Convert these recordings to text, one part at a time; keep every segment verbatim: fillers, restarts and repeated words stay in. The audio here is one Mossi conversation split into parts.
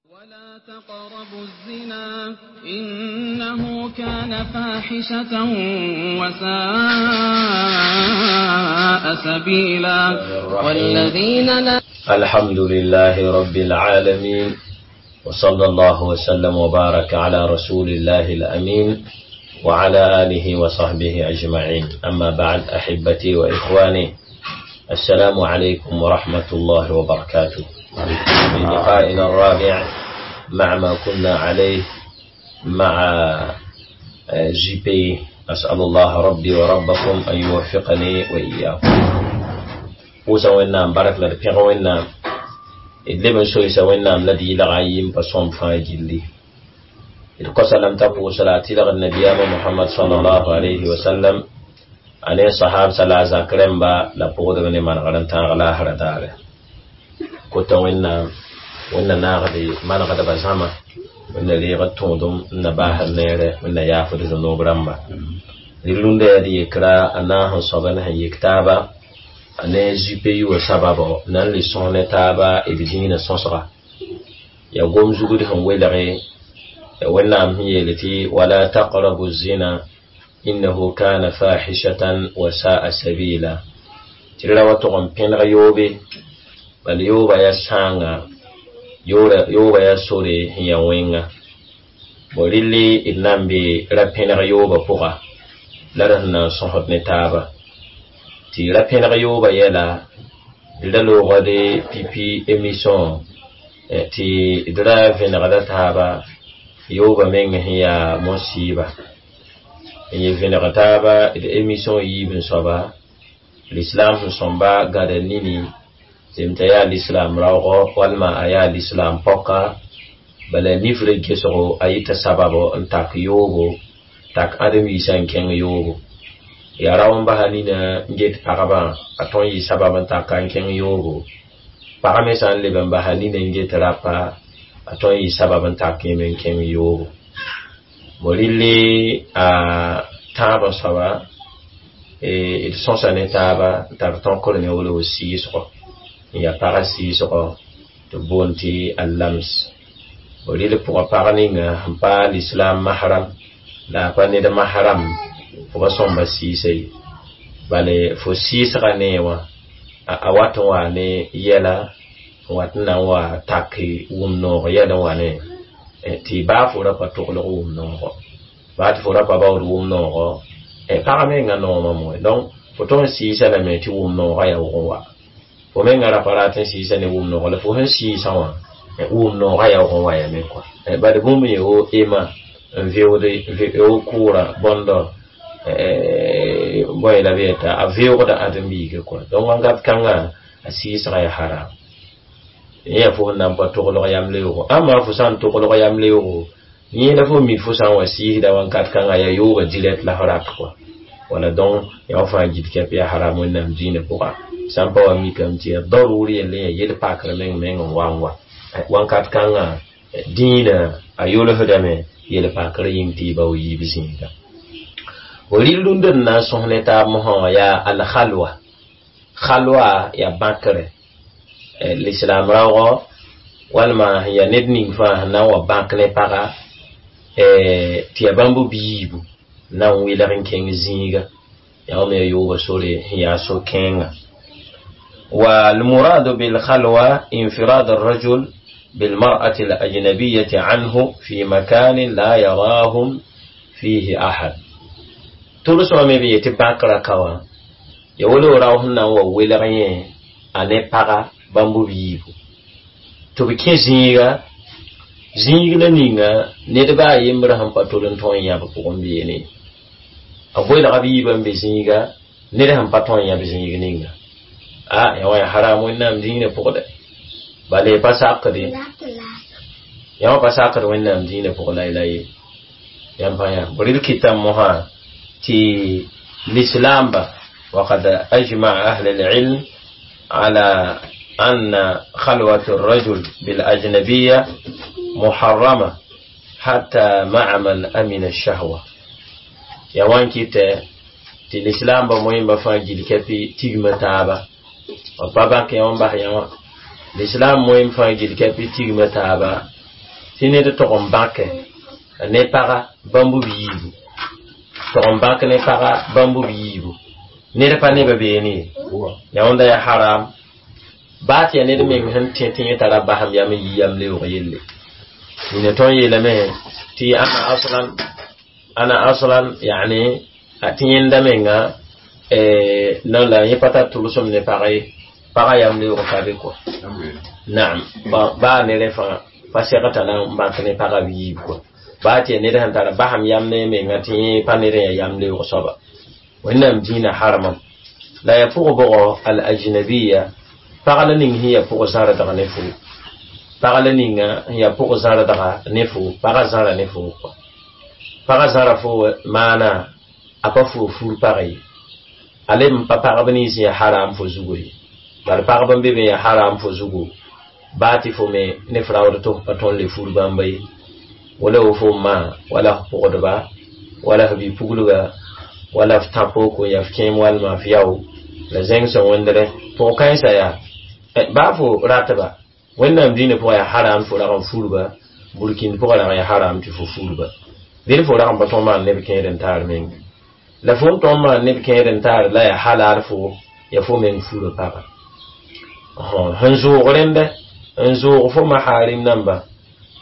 ولا تقربوا الزنا إنه كان فاحشة وساء سبيلا. والذين لا الحمد لله رب العالمين، وصلى الله وسلم وبارك على رسول الله الأمين وعلى آله وصحبه أجمعين. أما بعد، أحبتي وإخواني، السلام عليكم ورحمة الله وبركاته. في لقائنا الرابع مع ما كنا عليه مع جي بي، أسأل الله ربي وربكم أن يوفقني وإياكم. Pʋʋsa Wẽnnaam bark la d pẽg Wẽnnaam d leb n soysa Wẽnnaam la d yɩlga yɩ n pa sõm fãa gilli. D kosa lame t'a pʋʋsra a tɩlgd nabiyaamã Mohamad salallahu alayhi wa sallam, a ne sahabsa la a zak rẽmba la pʋgdb ne manegr n tãag laasra daare. Kota Wẽnnaam, Wẽnna naagde manegdbã zãma, Wẽnna reegd tõodem n na baasd neere, Wẽnna yaafd zũnoob rãmba. Rɩl-rũndã yaa d yekra a naas n soab ne sẽn yek taaba a ne G P U wã sababo na n le sõs ne taaba d dĩinã sõsga ya gom zugd sẽn welge ya Wẽnnaam sẽn yeel tɩ wala taqrabu zina innahu kana fahishatan wa sa'a sabila, tɩ ra wa tʋg n pẽneg yoobe, bal yooba ya sãanga, yooba ya sore sẽn ya wẽnga bo. Rɩlli d na n be ra pẽneg yooba pʋga la d sẽn na n sõsd ne taaba tɩ ra pẽneg yooba yɛla. D ra loogd pipi émission tɩ d ra vẽnegda taaba yooba meng sẽn yaa mosiiba n yɩ vẽneg taaba. D émission yiib n soaba l'islam sẽn sõmba gãda nini zem t'a yaa l'islam raoogɔ walma a yaa l'islam pɔka, bala nifrã gesgo a yɩta sababo n tak yoobo, tak ãdem-biisã n kẽng yoobo. Yaa rao n basa nina n get pagba, a tõe n yɩ sabab n taka n kẽng yoobo. Pag me sã n leb n basa nina n get rapa, a tõe n yɩ sabab n tak yẽme n kẽng yoobo. Bo rɩlli a tãab n soaba d sõsa ne taaba n tar tõkr ne wolg sɩɩsgɔ n yaa pagã sɩɩsgɔ tɩ b boond tɩ allams. Bo rɩl pʋgã pag ninga sẽn pa l'islam mahram la a pa ned mahram, fo pa sõmba sɩɩsa ye, bale fo sɩɩsga nee wã a wat n wa ne yɛla n wat n na n wa tak wʋm noog yɛl n wa ne tɩ baa fo ra pa toglg wʋm noogo, baa tɩ fo ra pa baood wʋm noogo, pag menga noomã moe. Donc fo tõe n sɩɩsa lame tɩ wʋm noogã yaa wʋg n wa. Fo menga ra pa rat n sɩɩsa ne wʋm noogo, la fo sẽn sɩɩsã wã wʋm noogã yaa wʋg n wa yame kɔa. Bad bũmb yẽ wo ema n veoode wo kʋʋra bõndɔ bõe la b yeta a veoogda ãdem-biiga kɔa. Donc wãnkat kãngã a sɩɩsga yaa haram yẽ yaa fo sẽn na n pa toglg yam leoogo. Ãmba fo sã n toglg yam leoogo yẽ la fo mi fo sã n wa sɩɩsda wãnkat kãngã yaa yooga direct la fo rat kɔa wala. Donc yaa fãa gil kɛp yaa haram Wẽnnaam dĩinã pʋga. Sã n pa wa mikame tɩ yaa daruur yelle, yaa yel pakr meng meng n wa n wa wãnkat kãngã dĩinã a yolsdame yel pakr yĩng tɩ y bao yiib zĩiga. Fo rɩl rũndã d na n sõs ne taab mosã wã yaa alxalwa. Xalwa yaa bãkre l'islam raoogɔ walma sẽn yaa ned ning fãa sẽn na n wa bãk ne paga tɩ yaa bãmb biibu na n welg n kẽng zĩiga, yaa wame yaa yooba sore sẽn yaa so-kẽenga. والمراد بالخلوة انفراد الرجل بالمرأة الأجنبية عنه في مكان لا يراهم فيه أحد. Tʋlsmã me b yetɩ bãkra ka wã ya wolo rao sẽn na n wa welg yẽ a ne paga bãmb b yiibu tɩ b kẽ zĩiga, zĩig la ninga ned baa a yembrã sẽn pa tol n tõe n yãb pʋgẽ beene. A welga b yiibã n be zĩiga, ned sẽn pa tõe n yãb zĩig ninga, a ya wã ya haram Wẽnnaam dĩinã pʋgdɛ. Bala y pa sakde yã wã pa sakd Wẽnnaam dĩinã pʋg la ye yãmb pa yã rɩl kɩtame mosã tɩ l'islam وقد أجمع أهل العلم على أن خلوة الرجل بالأجنبية محرمة حتى مع من أمن الشهوة. Ya wan kɩtɛ tɩ l'islam ba moẽmba fãa gil kɛpɩ tigmã taaba b pa bãk yã wã n bas yã wã. L'islam moẽm fãa gil kɛpɩ tigmã taaba. Tɩ ned tog n bãke ne paga bãmb b yiibu tog n bãk ne paga bãmb b yiibu ned pa nebã beene ye ya wẽnda yaa haram baa tɩ yaa ned meng sẽn tẽ tɩ yẽ tara basem yam n yi yam leoog yelle nina tõnd yeelame tɩ ana aslan ana aslan yani tɩ yẽnda menga non la yẽ pa tar tʋlsem ne pag ye paga yam leoog ka be kɔa naam baa ne rẽ fãa pa segta na n bãk ne paga b yiib kɔa baa tɩ yaa ned sẽn tara basem yam ne menga tɩ yẽ pa ned n yaa yam leoog soaba wẽnnaam dĩinã harmam la yaa pʋg bʋgɔ al ajnabiya pag la ning sẽn yaa pʋg zãrdg ne fo pag la ninga sẽn yaa pʋg zãrdga ne fo paga zãra ne fo kɔa paga zãra fo maana a pa fo fur pag ye a leb n pa pagb nins yaa haram fo zugu ye bala pagb n be be yaa haram fo zugu baa tɩ fo me ne f raood tɩ f pa tõnd le fur bãmba ye wala wo fo ma wala f pʋgdba wala f bi-puglga wala f tã-poko ya f kẽem walma f yao la zẽng sẽn wẽndrẽ pʋg-kãensã yaa baa fo ratba wẽnnaam dĩinã pʋgã yaa haram fo rag n furba burkĩnd pʋgã rag yaa haram tɩ fo furba dẽd fo rag n pa tõg maan neb kẽed n taar meng la fo n tõg maan neb kẽed n taar la yaa halal fo ya fo meng fura paga sẽn zʋʋg rẽnda n zʋʋg fo maharim namba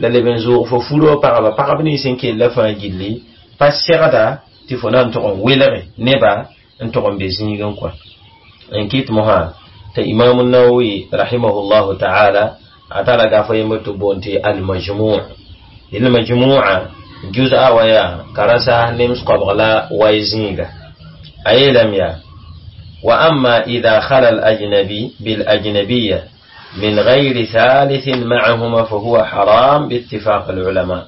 la leb n zʋʋg fo furo pagba pagb nins n kella fãa gilli pa segda tɩ fo na n tʋg n welge neba n tʋg n be zĩigẽ kɔa n kɩt mosã tɩ imam nawawi rahimahullahu taala a tara gafa yembr tɩ boond tɩ almajmu' almajmu'a juz'a wa yaa karasa nems koabg la way zĩiga a yeelame yaa wa amma ida khala alajnabi bilajnabiya من غير ثالث معهما فهو حرام باتفاق العلماء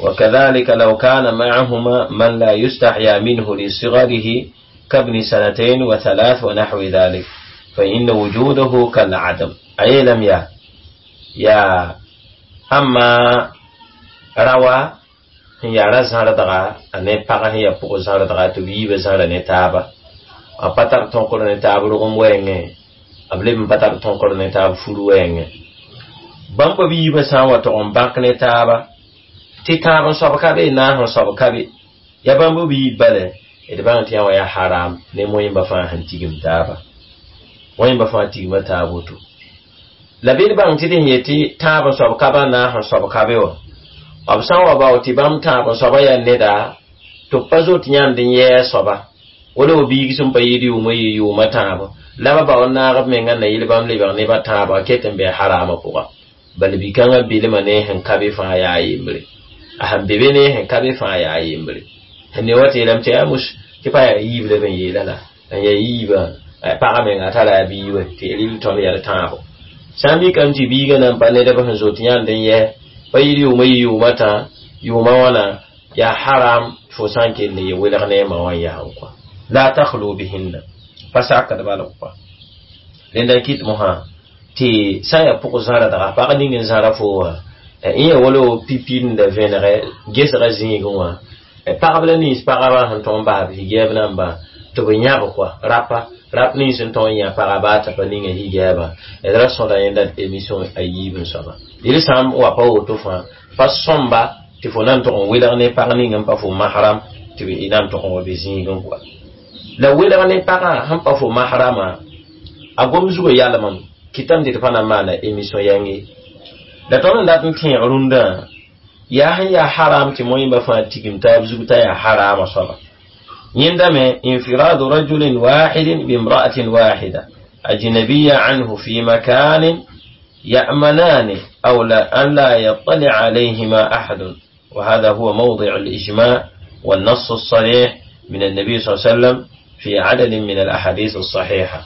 وكذلك لو كان معهما من لا يستحيا منه لصغره كابن سنتين وثلاث ونحو ذلك فإن وجوده كالعدم أي لم يا يا أما روى يا رزهر دغا أني بقى هي بقى زهر دغا تبي بزهر نتابا أبتر تنقل نتابا رغم وين b leb n pa tar tõkr ne taab fur wɛɛngẽ bãmb b yiibã sã n wa tog n bãk ne taaba tɩ tãab n soab ka be naas n soab ka be yaa bãmb b yiib bala d bãng tɩ yã wa yaa haram ne moẽmba fãa sẽn tigim taaba moẽmba fãa tigma taab woto la bɩ d bãng tɩ d sẽn yetɩ tãab n soab ka ba naas n soab ka be wã b sã n wa bao tɩ bãmb tãab n soaba yaa neda tɩ b pa zoet yãnd n yɛɛ soaba wala wa biig sẽn pa yɩɩd yʋʋmã yɩ yʋʋmã tãabo la ba bao n naag b menga na yɩl bãmb lebg nebã tãabã ket n be harama pʋga bala bi-kãngã bilmã ne sẽn ka be fãa yaa yembre a sẽn be be ne sẽn ka be fãa yaa yembre sẽn ne wa tɩ yeelame tɩ yaa mus tɩ pa yaa yiib la b n yeela la n yaa yiibã pagã menga a tara a bii wɛ tɩ rɩl tõnd yaa d tãabo sã n mikame tɩ biigã nan pa nedb sẽn zoet yãnd n yɛ pa yɩl yʋʋmã yɩ yʋʋmã tã yʋʋmã wãna yaa haram fo sã n kell ye welg ne a ma wã n yaa n kɔa la takhlu bihinna pa sakd bala kɔa rẽnda n kɩt mosã tɩ sã n yaa pʋg zãrdga pag ning n zãra fo wã n yaa wala pipind vẽnegɛ gesga zĩigẽ wã pagb la nins pagba sẽn tõg n bas b higɛɛb namba tɩ b yãb kɔa rapa rap nins n tõg n yã paga baa t'a pa ninga higɛɛbã d ra sõda yẽnda émission a yiib n soaba yel sã n wa pa woto fãa pa sõmba tɩ fo na n tʋg n welg ne pag ning n pa fo mahram tɩ na n tʋg n wa be zĩigẽ kɔa la welg ne pagã sẽn pa fo mahrama a gom zugã yalmame kɩtame tɩ d pa na n maana émission yãng ye la tõnd n dat n tẽeg rũndã yaa sẽn yaa haram tɩ moẽmba fãa tigim taab zug t'a yaa harama soaba yẽnda me infiradu rajulin wahidin bimra'atin wahida ajnabiya anhu fi makanin يأمنان أو لا أن لا يطلع عليهما أحد وهذا هو موضع الإجماع والنص الصريح من النبي صلى الله عليه وسلم في عدد من الأحاديث الصحيحة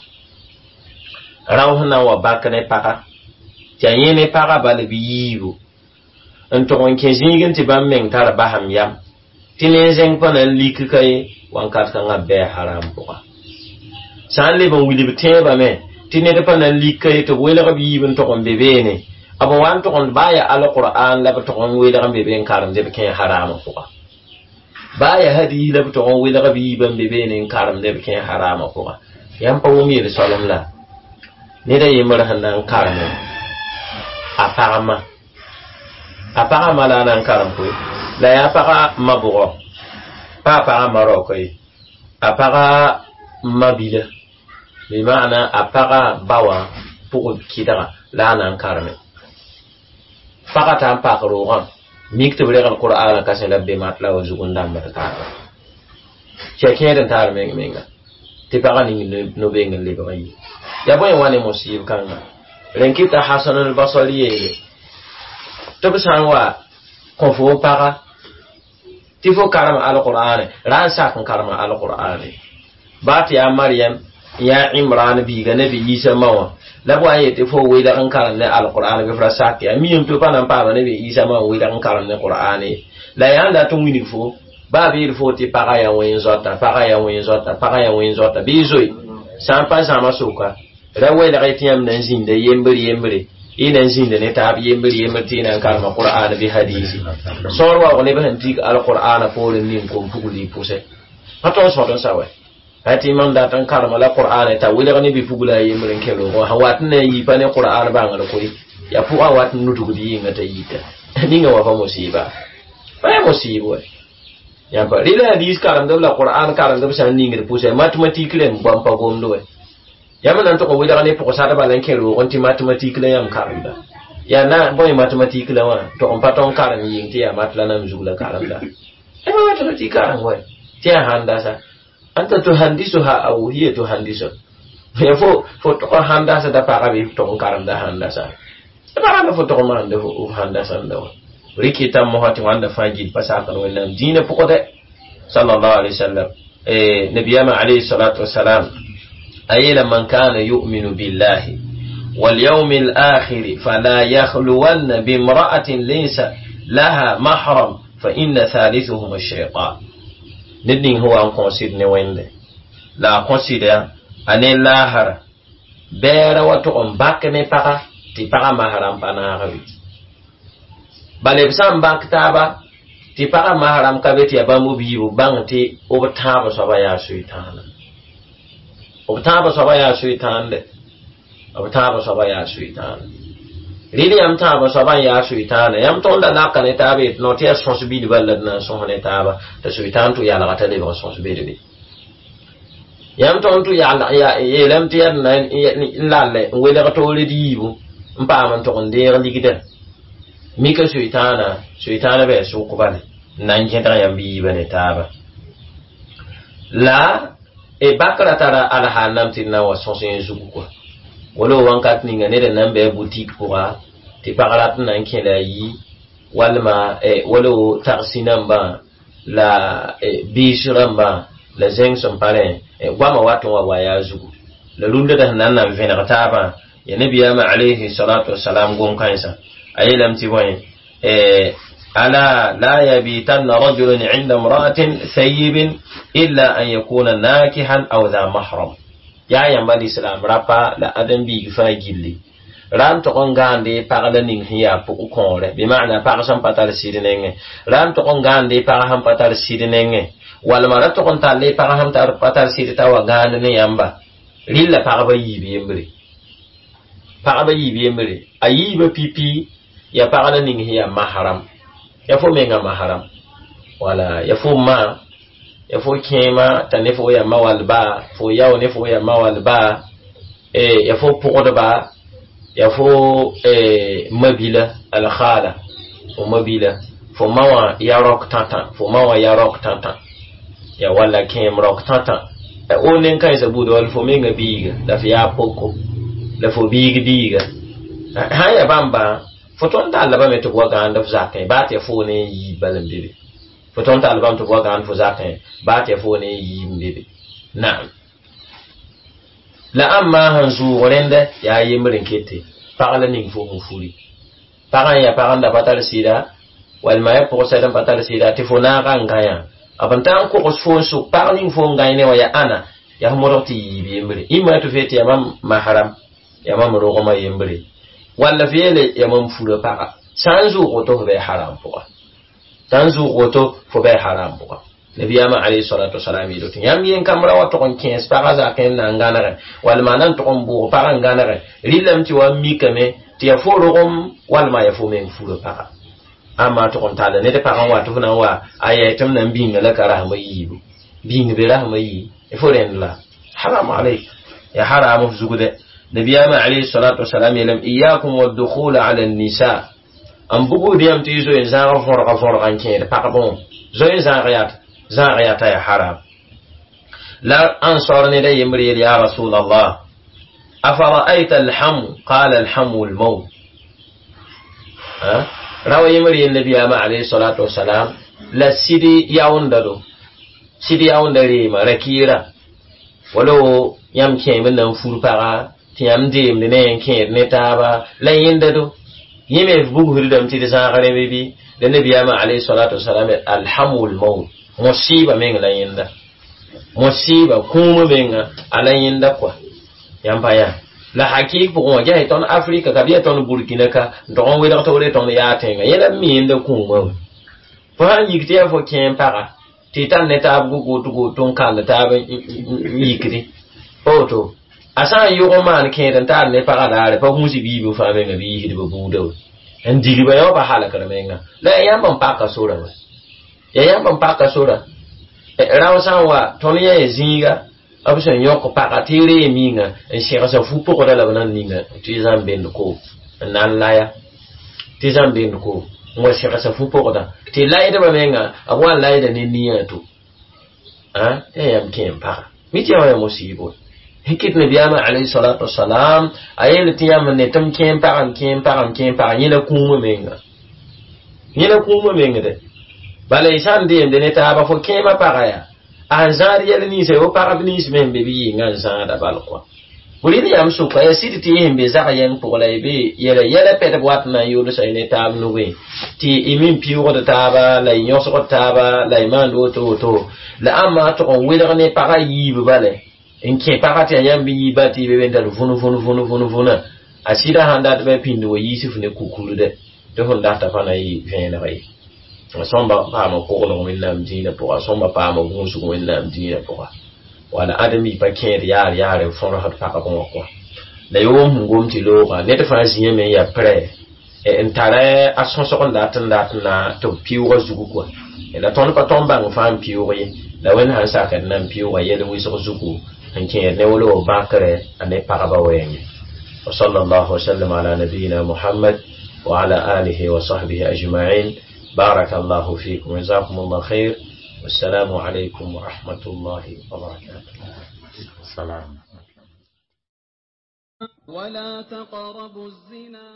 راوهنا وباكنا بقى تياني بقى بل بييبو n tʋg n kẽ zĩigẽ tɩ bãmb meng tar basem yam tɩ ne zẽng pa na n lik ka ye wãnkat kãngã bɛɛ haram pʋga sã n leb n wilb tẽebame tɩ ned pa na n lik ka ye tɩ b welg b yiib n tʋg n be beene b wa n tʋg n baa yaa alqur'an la b tʋg n welg n be be n karemd b kẽ harama pʋga baa yaa hadiis la b tʋg n welg b yiib n be beene n karemd b kẽ harama pʋga yãmb pa wʋm yel-soalem la ned a yembr sẽn na n karem a pagma A pagã ma la a na n karem koe la yaa pagã ma bʋgɔ pa a pagã ma raoka ye a pagã mabila bɩ maana a pagã ba wã pʋg kɩdga la a na n kareme pagã t'a n pak roogã mik tɩ b regl qur'ana kase la b be mat la wa zug n dãmbd taaba tɩ ya kẽed n taar meng menga tɩ pagã ning no-beng n lebg n yi ya bõe wa ne musib kãnga rẽn kɩta Hasan al-Basri yeele tɩ b sã n wa kõ fo paga tɩ fo karem alqur'ane ra n sak n karema alqur'ane baa tɩ yaa Maryam yaa Imran biiga nabi Isa ma wã la b wa n yetɩ fo welg n karem ne alqur'ane bɩ f ra sak ya miime tɩ pa na n paama nabi Isa ma n welg n karem ne qur'ane la yaa n dat n wilg fo baa b yeel fo tɩ pagã yaa wẽn zoata pagã yaa wẽn zoata pagã yaa wẽn zoata bɩ zoe sã n pa zãma soka ra welg tɩ yãmb na n zĩnda yembr yembre y na n zĩnda ne taab yembr yembr tɩ y na n karema qur'an bɩ hadisi sõor waoog neb sẽn dig alqur'ana poorẽ ning kom pugl y pʋsɛ pa tõnd sõd n sa wɛ tɩ mam dat n karema la qur'an t'a welg ne bi-pugla a yembr n kẽ roogẽ sã wat n na n yi pa ne qur'an bãngr koe yaa pʋgã wat n nudgd yɩnga t'a yita ninga wã pa musiba pa yaa musiib wɛ yãmpa rɩla hadis karemdb la qur'an karemdb sã n ningd pʋsɛ matematik rẽmb bãmb pa gomd wɛ yãmb na n tʋg n welg ne pʋgsadbã la n kẽ roogẽ tɩ matematik la yãmb karemda yaa na bõe matematik la wã tʋg n pa tõnd karem yɩng tɩ yaa mat la nam zug la karemda pa matematik karem wɛ tɩ yaa handasa anta tuhandisuha aw hiya tuhandisu ya fo fo tʋg n handasa da pagã bɩ tʋg n karemda handasa pagã la fo tʋg n maande f handasãnda wã rɩkɩ mosã tɩ wãnda fãa gil pa sakd wẽnnaam dĩinã pʋgdɛ sallallahu alaihi wasallam nabiyama alayhi salatu wasalam أيلا من كان يؤمن بالله واليوم الآخر فلا يخلون بامرأة ليس لها محرم فإن ثالثهم الشيطان ندين هو أن كونسيد نويند لا كونسيد أن لاهر بير وتقوم باك نبقى تبقى محرم بناغوي بل بسام باك تابا تبقى محرم كبت يبامو بيو بان تي أبتاب سبا يا شيطان b tãabã soaba yaa soetãande b tãabã soaba yaa soetãande rɩl yãmb tãabã soaba n yaa soetãane yãmb tõnd da laka ne taaba yetɩ no tɩ yaa sõs bilba la d na n sõs ne taaba t'a soetãan tʋ yalga t'a lebg sõs belbe yãmb tõnd tʋ yeelame tɩ yaa d na n lallɛ n welg toore d yiibu n paam n tʋg n deeg ligda mika soetãana soetãana bɩ sʋk bale n na n gẽdg yãmb yiibã ne taaba la e bakra tara alhaal nam tɩ d na n wa sõs yẽ zugu kɔa wala wãnkat ninga ned n na n bɩ a butik pʋga tɩ pag rat n na n kẽ la a yi walma wala tagsi nambã la biis rãmbã la zẽng sẽn pa rẽ goamã wat n wa wa yaa zugu la rũndã sẽn na n na n vẽneg taabã ya nabiyaamã alayhi salatu wasalam gom-kãensã a yeelame tɩ bõe ألا لا يبيتن رجل عند امرأة ثيب إلا أن يكون ناكحا أو ذا محرم يا ينبا الإسلام رابا لا أدم بيج فاجلي رام تقون غاندي پاغلا نين هي پوكو كونره بمعنى پاغ سم پاتال سيدنين رام تقون غاندي پاغ هم پاتال سيدنين والما را تقون تالي پاغ هم تار پاتال سيد تاوا غاند ني يامبا ريلا پاغ با يبي يمبري پاغ با يبي يمبري ايبا بي بي يا پاغلا نين هي محرم ya fo menga maharam wala ya fo ma ya fo kẽema t'a ne fo ya ma wall ba fo yao ne fo ya ma wall ba e ya fo pʋgdba ya fo e mabila alkhala fo mabila fo ma wã ya rok tãtã fo ma wã ya rok tãtã ya walla kẽem rok tãtã o nen-kãensã buud wall fo menga biiga la f yaa poko la fo biig biiga sã n ya bãmba fo tõnd tall bame tɩ b wa gãand f zakẽ baa tɩ ya fo ne n yiib bal n be be fo tõnd tall bame tɩ b wa gãand fo zakẽ baa tɩ ya fo ne n yiib n be be naam la ãmba sẽn zʋʋg rẽnda yaa yembr n kete pag la ning fo sẽn furi pagã n yaa pag n da pa tar sɩda walma ya pʋgsɛd n pa tar sɩda tɩ fo naaga n gã yã b n taa n kogs fo n sʋk pag ning fo n gãe ne wã yaa ãna yaa f modg tɩ yiib yembre ĩmma tɩ f yetɩ yaa mam mahram yaa mam rogmã yembre walla f yeele ya mam fura paga sã n zʋʋg woto fo bɩ haram pʋga sã n zʋʋg woto fo bɩ haram pʋga nabiyama alayhi salatu wasalam yeelo tɩ yãmb yen kambra wa tʋg n kẽes pagã zakẽ n na n gãnegẽ walma na n tʋg n bʋʋg pagã n gãnegẽ rɩlame tɩ wa n mikame tɩ ya fo rogem walma ya fo meng fura paga Amma tʋg n tall ned pagã wa tɩ f na n wa a yɛɛ tɩ m na n bĩnga la ka rasmã yiibu bĩng be rasmã yii fo rẽnd la haram alayk ya haram f zugdɛ nabiyaamã alayhi salatu wasalam yeelame iyakum waddukhula ala nisa n bugd yãmb tɩ y zoe n zãag võrga võrga n kẽed pagb wã zoe n zãag yat zãag yata ya haram la ansar ned a yembr yeel ya rasul allah afara'ayta alhamu qala alhamu almaut rawa yembr yeel nabiyaamã alayhi salatu wasalam la sɩd yaoonda do sɩd yaoonda reema rakɩɩra wala yãmb kẽem n na n fur paga tɩ yãmb deemd ne n kẽed ne taaba la yẽnda do yẽ me f bugsdame tɩ d zãag rẽmbe bɩ la nabiyaamã alayhi salatu wasalam alhamu lmaut musiba meng la yẽnda musiba kũumã menga a la yẽnda kɔa yãmb pa yaa la hakik pʋgẽ wã ges tõnd afrika ka bɩ yaa tõnd burkina ka n tog n welg togre tõnd yaa tẽnga yẽ la b mi yẽnda kũumã wã fo sãn yik tɩ yaa fo kẽem paga tɩ y tar ne taab goto n kand taab n yikdi pa woto a sã n yʋg n maan kẽed n taar ne pagã daare pa gũus biib fãa menga bɩ yisdbã buudã we n digba yã wã pa halkr menga la ya yãmb n paka sora wa ya yãmb n paka sora rao sã n wa tõnd yã ya zĩiga b sẽn yõk paga tɩ y ree minga n segsa fu-pʋgda la b na n ninga tɩ y zãm bend ko n na n laya tɩ y zãm bend ko n wa segsa fu-pʋgda tɩ laydbã menga b wa n layda ne nia to tɩ ya yãmb kẽem paga mi tɩ yã wã ya musiibo kɩt nabiyaamã alayhi salatu wasalam a yeel tɩ yãmb ne tɩ m kẽem pagã m kẽem pagã m kẽem pagã yẽ la kũumã menga yẽ la kũumã meng de bala y sã n deemde ne taaba fo kẽemã paga yaa a n zãad yɛl ninsã yo pagb nins me sẽn be bɩ yɩnga n zãada bal kɔa rɩl yãmb sʋka yaa sɩd tɩ y sẽn be zag yɛng pʋgã la y be yɛla yɛla pɛdb wat na n yolsa y ne taab nugẽ tɩ y min piʋgd taaba la y yõsgd taaba la y maand woto woto la ãmba tʋg n welg ne pagã yiib bale n kẽ pagã tɩ yaa yãmb yiiba tɩ y be be n tar vũn vũn vũn vũn vũnã a sɩda sãn dat bɩ pĩnd wa yiis f ne kukurde tɩ fõn data pa na yɩ vẽeneg ye a sõmba paama koglg wẽnnaam dĩinã pʋga a sõmba paama gũusg wẽnnaam dĩinã pʋga wala ãdem-bi pa kẽed yaar yaar n fõrsd pagb wã kɔa la yoom sẽn gom tɩ looga ned fãa zĩame n yaa prɛ n tara a sõsg n dat n dat na tɩ b pɩʋʋgã zugu kɔa la tõnd pa tõnd bãng fãa n pɩʋʋg ye la wẽnd sãn sakd na n pɩʋʋga yɛl wɩsg zugu n kẽed ne wala bãkrɛ a ne pagba wɛɛngẽ وصلى الله وسلم على نبينا محمد وعلى آله وصحبه أجمعين بارك الله فيكم جزاكم الله خير والسلام عليكم ورحمة الله وبركاته السلام ولا تقربوا الزنا.